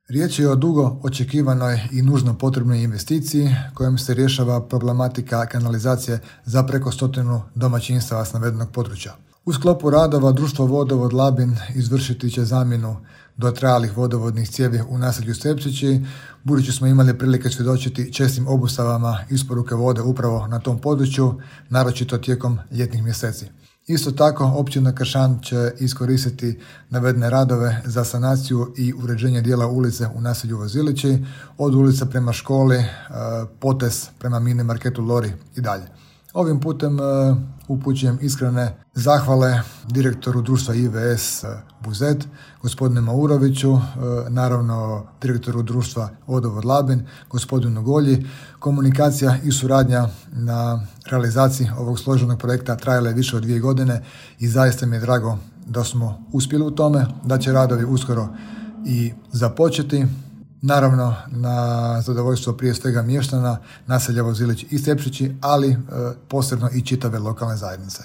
Riječ je o dugo očekivanoj i nužno potrebnoj investiciji kojom se rješava problematika kanalizacije za preko 100 domaćinstava s navedenog područja. U sklopu radova društvo Vodovod Labin izvršiti će zamjenu dotrajalih vodovodnih cijevi u naselju Stepčići, budući smo imali prilike svjedočiti čestim obustavama isporuke vode upravo na tom području, naročito tijekom ljetnih mjeseci. Isto tako, općina Kršan će iskoristiti navedene radove za sanaciju i uređenje dijela ulice u naselju Vozilići, od ulice prema školi, potez prema mini marketu Lori i dalje. Ovim putem upućujem iskrene zahvale direktoru društva IVS Buzet, gospodinu Mauroviću, naravno direktoru društva Vodovod Labin, gospodinu Golji. Komunikacija i suradnja na realizaciji ovog složenog projekta trajala je više od 2 godine i zaista mi je drago da smo uspjeli u tome, da će radovi uskoro i započeti. Naravno, na zadovoljstvo prije svega mještana naselja Vozilić i Stepčići, ali posebno i čitave lokalne zajednice.